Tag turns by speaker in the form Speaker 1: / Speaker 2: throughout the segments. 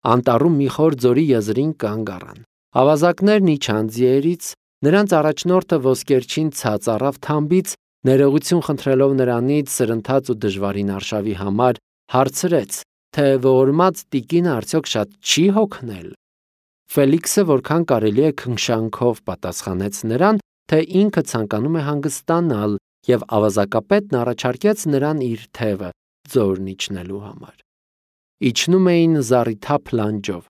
Speaker 1: Անտառում մի խոր ձորի եզրին կանգ առան։ Ավազակներն իջան ձիերից, նրանց առաջնորդը ոսկերչին ցած առավ թամբից, ներողություն խնդրելով նրանից սրընթաց ու դժվարին արշավի համար, հարցրեց, թե ողորմած տիկինը արդյոք շատ չի հոգնել։ Ֆելիքսը որքան կարելի է քնքշանքով պատասխանեց նրան, թե ինքը ցանկանում է հանգստանալ, և ավազակապետն առաջարկեց նրան իր թևը ձորն իջնելու համար։ Իջնում էին զառիթափ լանջով։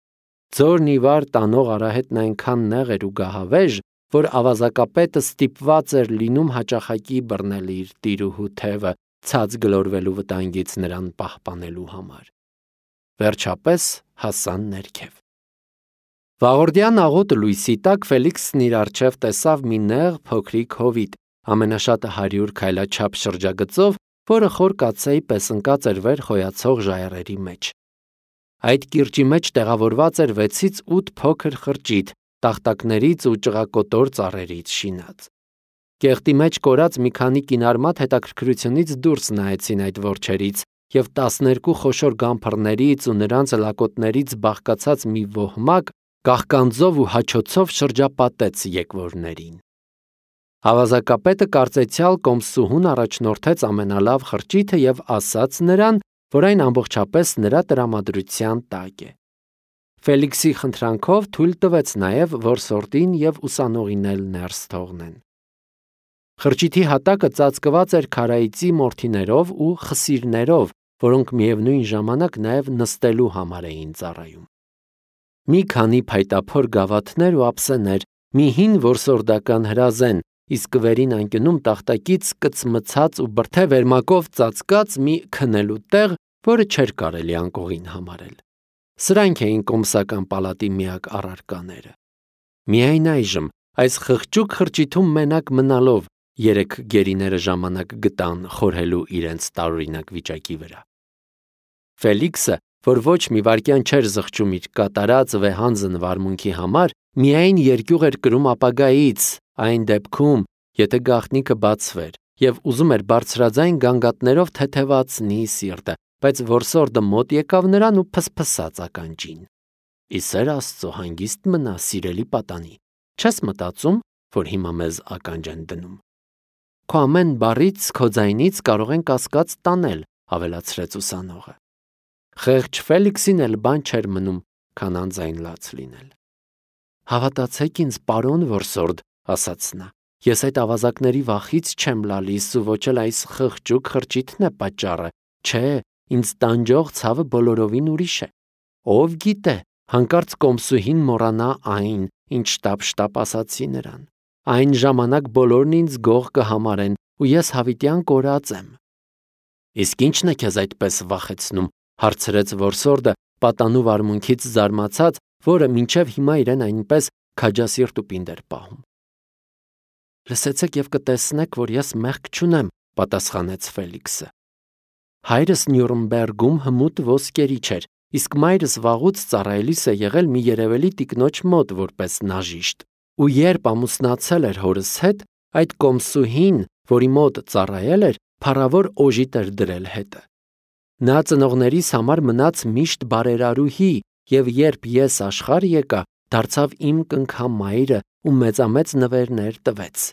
Speaker 1: Ձորն ի վար տանող արահետն այնքան նեղ էր ու գահավեժ, որ ավազակապետը ստիպված էր լինում հաճախակի բռնել իր տիրուհու թևը ցած գլորվելու վտանգից նրան պահպանելու համար։ Վերջապես հասան ներքև։ Վաղորդյան աղոտ լույսի տակ Ֆելիքսն իր առջև տեսավ մի նեղ փոքրիկ հովիտ, ամենաշատը 100 քայլաչափ շրջագծով, որը խոր կաթսայի պես ընկած էր վեր խոյացող ժայռերի մեջ։ Այդ կիրճի մեջ տեղավորված էր 6-ից 8 փոքր խրճիթ, տախտակներից ու ճղակոտոր ծառերից շինած։ Կեղտի մեջ կորած մի քանի կինարմատ հետաքրքրությունից դուրս նայեցին այդ որջերից, և 12 խոշոր գամփռներից ու նրանց լակոտներից բաղկացած մի ոհմակ կաղկանձով ու հաչոցով շրջապատեց եկվորներին։ Ավազակապետը կարծեցյալ կոմսուհուն առաջնորդեց ամենալավ խրճիթը և ասաց նրան, որ այն ամբողջապես նրա տրամադրության տակ է։ Ֆելիքսի խնդրանքով թույլ տվեց նաև, որ սորտին և ուսանողին էլ ներս թողնեն։ Խրճիթի հատակը ծածկված էր քարայծի մորթիներով ու խսիրներով, որոնք միևնույն ժամանակ նաև նստելու համար էին ծառայում։ Մի քանի փայտափոր գավաթներ ու ափսեներ, մի հին որսորդական հրազեն, իսկ վերին անկյունում տախտակից կծմցած ու բրդե վերմակով ծածկած մի քնելու տեղ, որը չէր կարելի անկողին համարել։ Սրանք էին կոմսական պալատի միակ առարկաները։ Միայն այժմ, այս խղճուկ խրճիթում մենակ մնալով, երեք գերիները ժամանակ գտան խորհելու իրենց տարօրինակ վիճակի վրա։ Ֆելիքսը, որ ոչ մի վայրկյան չէր զղջում իր կատարած վեհանձն վարմունքի համար, միայն երկյուղ էր կրում ապագայից, այն դեպքում, եթե գաղտնիքը բացվեր, և ուզում էր բարձրաձայն գանգատներով թեթևացնի սիրտը, բայց որսորդը մոտ եկավ նրան ու փսփսաց ականջին։ «Ի սեր Աստծո հանգիստ մնա, սիրելի պատանի, չես մտածում, որ հիմա մեզ ականջ են դնում։ Քո ամեն բառից, քո ձայնից կարող են կասկած տանել», ավելացրեց ուսանողը։ Խեղճ Ֆելիքսին էլ բան չէր մնում, քան անձայն լաց լինել։ «Հավատացեք ինձ, պարոն որսորդ», ասաց նա, «ես այդ ավազակների վախից չեմ լալիս ու ոչ էլ այս խղճուկ խրճիթն է պատճառը, չէ, ինձ տանջող ցավը բոլորովին ուրիշ է։ Ով գիտե, հանկարծ կոմսուհին մոռանա այն, ինչ շտապ ասացի նրան։ Այն ժամանակ բոլորն ինձ գող կհամարեն ու ես հավիտյան կորած եմ»։ «Իսկ ի՞նչն է քեզ այդպես վախեցնում», հարցրեց որսորդը, պատանու վարմունքից զարմացած, որը մինչև հիմա իրեն այնպես քաջասիրտ ու պինդ էր պահում։ «Լսեցեք և կտեսնեք, որ ես մեղք չունեմ», պատասխանեց Ֆելիքսը։ «Հայրս Նյուրնբերգում հմուտ ոսկերիչ էր, իսկ մայրս վաղուց ծառայելիս է եղել մի երևելի տիկնոջ մոտ որպես նաժիշտ, ու երբ ամուսնացել էր հորս հետ, այդ կոմսուհին, որի մոտ ծառայել էր, փառավոր օժիտ էր դրել հետը։ Նա ծնողներիս համար մնաց միշտ բարերարուհի, և երբ ես աշխարհ եկա, դարձավ իմ կնքամայրը ու մեծամեծ նվերներ տվեց։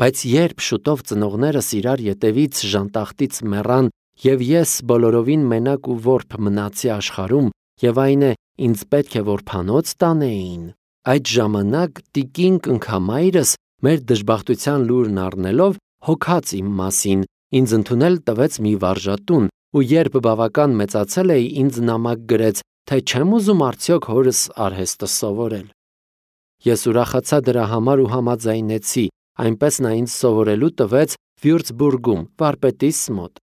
Speaker 1: Բայց երբ շուտով ծնողներս իրար ետևից ժանտախտից մեռան, և ես բոլորովին մենակ ու որբ մնացի աշխարհում, և այն է, ինձ պետք է որբանոց տանեին, այդ ժամանակ տիկին կնքամայրս, մեր դժբախտության լուրն առնելով, հոգաց իմ մասին, ինձ ընդունել տվեց մի վարժատուն, ու երբ բավական մեծացել էի, ինձ նամակ գրեց, թե չեմ ուզում արդյոք հորս արհեստը սովորել։ Ես ուրախացա դրա համար ու համաձայնեցի, այնպես նա ինձ սովորելու տվեց Վյուրցբուրգում, վարպետիս մոտ։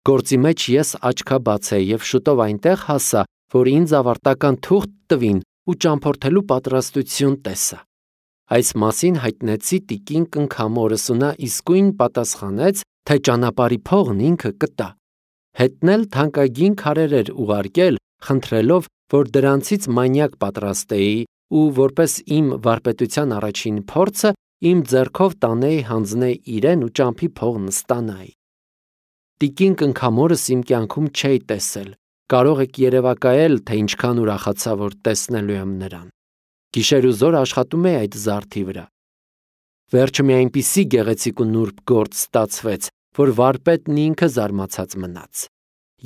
Speaker 1: Գործի մեջ ես աչքաբաց էի և շուտով այնտեղ հասա, որ ինձ ավարտական թուղթ տվին ու ճամփորդելու պատրաստություն տեսա։ Այս մասին հայտնեցի տիկին կնքամորս ու նա իսկույն պատասխանեց, թե ճանապարհի փողն ինքը կտա։ Հետն էլ թանկագին քարեր էր ուղարկել, խնդրելով, որ դրանցից մանյակ պատրաստեի ու որպես իմ վարպետության առաջին փորձը իմ ձեռքով տանեի հանձնել իրեն ու ճամփի փողն ստանայի։ Տիկին կնքամորս իմ կյանքում չէի տեսել, Կարող եք երևակայել, թե ինչքան ուրախացա, որ տեսնելու եմ նրան։ Գիշեր ու զոր աշխատում էի այդ զարդի վրա։ Վերջը մի այնպիսի գեղեցիկ ու նուրբ գործ ստացվեց, որ վարպետն ինքը զարմացած մնաց։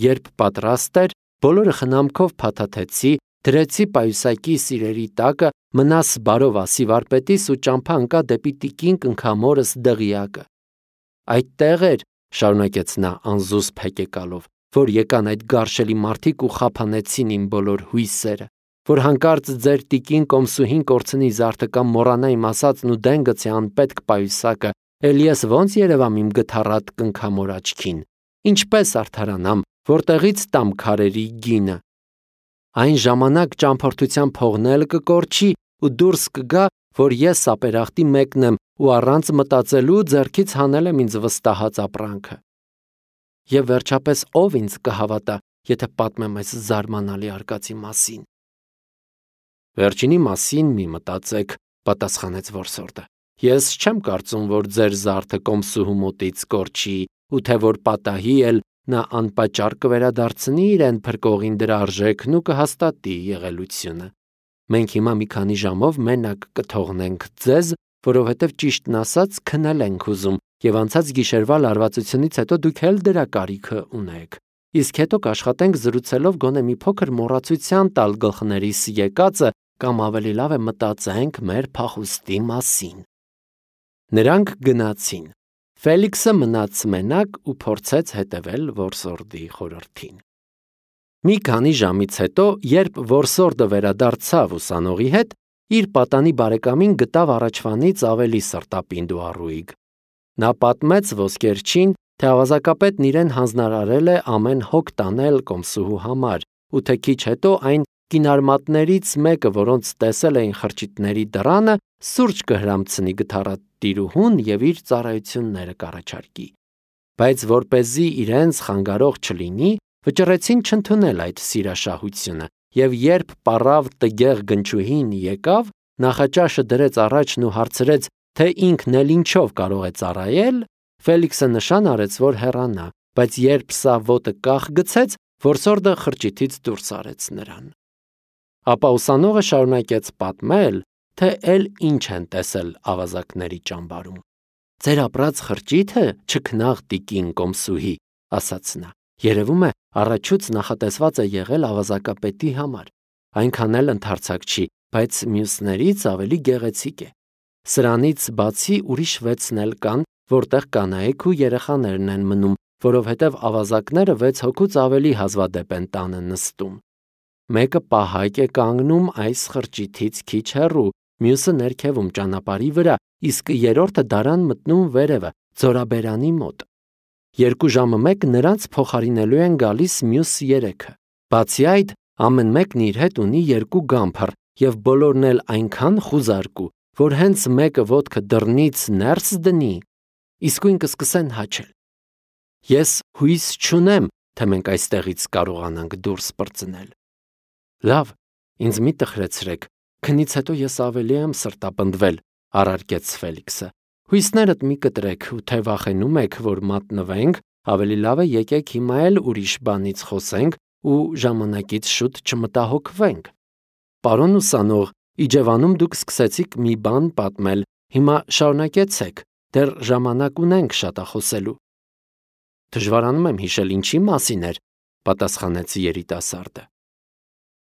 Speaker 1: Երբ պատրաստ էր, բոլորը խնամքով փաթաթեցի, դրեցի պայուսակի սիրերի տակը, մնաս բարով ասի վարպետիս ու ճամփա ընկա դեպի տիկին կնքամորս դղիակը։ Այդտեղ էր, շարունակեց նա անզուսպ հեկեկալով, որ եկան այդ գարշելի մարդիկ ու խափանեցին իմ բոլոր հույսերը, որ հանկարծ ձեր տիկին կոմսուհին կորցնի զարդը կամ մոռանա իմ ասածն ու դեն գցի անպետք պայուսակը, էլ ես ոնց երևամ իմ գթառատ կնքամոր աչքին, ինչպես արդարանամ, որտեղից տամ քարերի գինը։ Այն ժամանակ ճամփորդության փողն էլ կկորչի ու դուրս կգա, որ ես սապերախտի մեկն եմ ու առանց մտածելու ձեռքից հանել եմ ինձ վստահած ապրանքը։ Եվ վերջապես ով ինձ կհավատա, եթե պատմեմ այս զարմանալի արկածի մասին։ Վերջինի մասին մի մտածեք, պատասխանեց որսորդը։ Ես չեմ կարծում, որ ձեր զարդը կոմսուհու մոտից կորչի, ու թե որ պատահի էլ նա անպատճառ կվերադարձնի իրեն փրկողին դրա արժեքն ու կհաստատի եղելությունը։ Մենք հիմա մի քանի ժամով մենակ կթողնենք ձեզ, որովհետև ճիշտն ասած քնել ենք ուզում, եւ անցած գիշերվա լարվածությունից հետո դուք էլ դրա կարիքը ունեք։ Իսկ հետո կաշխատենք զրուցելով գոնե մի փոքր մոռացության տալ գլխներիս եկածը կամ ավելի լավ է մտածենք մեր փախուստի մասին։ Նրանք գնացին։ Ֆելիքսը մնաց մենակ ու փորձեց հետևել որսորդի խորհրդին։ Մի քանի ժամից հետո, երբ որսորդը վերադարձավ ուսանողի հետ, իր պատանի բարեկամին գտավ առաջվանից ավելի սրտապինդ ու առույգ։ Նա պատմեց ոսկերչին, թե ավազակապետն իրեն հանձնարարել է ամեն հոգ տանել կոմսուհու համար, ու թե քիչ հետո այն կինարմատներից մեկը, որոնց տեսել էին խրճիթների դռանը, սուրճ կհրամցնի գթառատիրուհուն եւ իր ծառայությունները կառաջարկի։ Բայց որպեսզի իրենց խանգարող չլինի, վճռեցին չընդունել այդ սիրաշահությունը, եւ երբ պառավ տգեղ գնչուհին եկավ, նախաճաշը դրեց առաջն ու հարցրեց, թե ինքն էլ ինչով կարող է ծառայել, Ֆելիքսը նշան արեց, որ հեռանա, բայց երբ սա ոտը կախ գցեց, որսորդը խրճիթից դուրս արեց նրան։ Ապա ուսանողը շարունակեց պատմել, թե էլ ինչ են տեսել ավազակների ճամբարում։ Ձեր ապրած խրճիթը չքնաղ տիկին կոմսուհի, ասաց նա, երևում է առաջուց նախատեսված է եղել ավազակապետի համար, այնքան էլ ընդարձակ չի, բայց մյուսներից ավելի գեղեցիկ է։ Սրանից բացի ուրիշ 6-ն էլ կան, որտեղ կանայք ու երեխաներն են մնում, որովհետև ավազակները 6 հոգուց ավելի հազվադեպ են տանը նստում։ Մեկը պահակ է կանգնում այս խրճիթից քիչ հեռու, մյուսը ներքևում ճանապարհի վրա, իսկ երրորդը դարան մտնում վերևը, ձորաբերանի մոտ։ 2 ժամը մեկ նրանց փոխարինելու են գալիս մյուս 3-ը։ Բացի այդ, ամեն մեկն իր հետ ունի 2 գամփր, եւ բոլորն էլ այնքան խուզարկու, որ հենց մեկը ոտքը դռնից ներս դնի, իսկույն կսկսեն հաչել։ Ես հույս չունեմ, թե մենք այստեղից կարողանանք դուրս պրծնել։ Լավ, ինձ մի տխրեցրեք, քնից հետո ես ավելի եմ սրտապնդվել, առարկեց Ֆելիքսը։ Հույսներդ մի կտրեք, ու թե վախենում եք, որ մատնվենք, ավելի լավ է եկեք հիմա էլ ուրիշ բանից խոսենք ու ժամանակից շուտ չմտահոգվենք։ Պարոն ուսանող, Իջևանում դուք սկսեցիք մի բան պատմել, հիմա շարունակեցեք, դեռ ժամանակ ունենք շատախոսելու։ Դժվարանում եմ հիշել ինչի մասին էր, պատասխանեց երիտասարդը։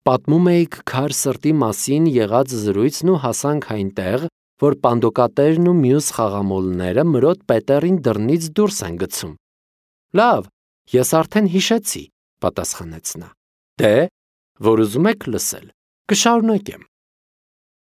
Speaker 1: Պատմում էիք քար սրտի մասին եղած զրույցն ու հասանք այնտեղ, որ պանդոկատերն ու մյուս խաղամոլները մրոտ պետերին դռնից դուրս են գցում։ Լավ, ես արդեն հիշեցի, պատասխանեց նա։ Դե, որ ուզում եք լսել, կշարունակեմ։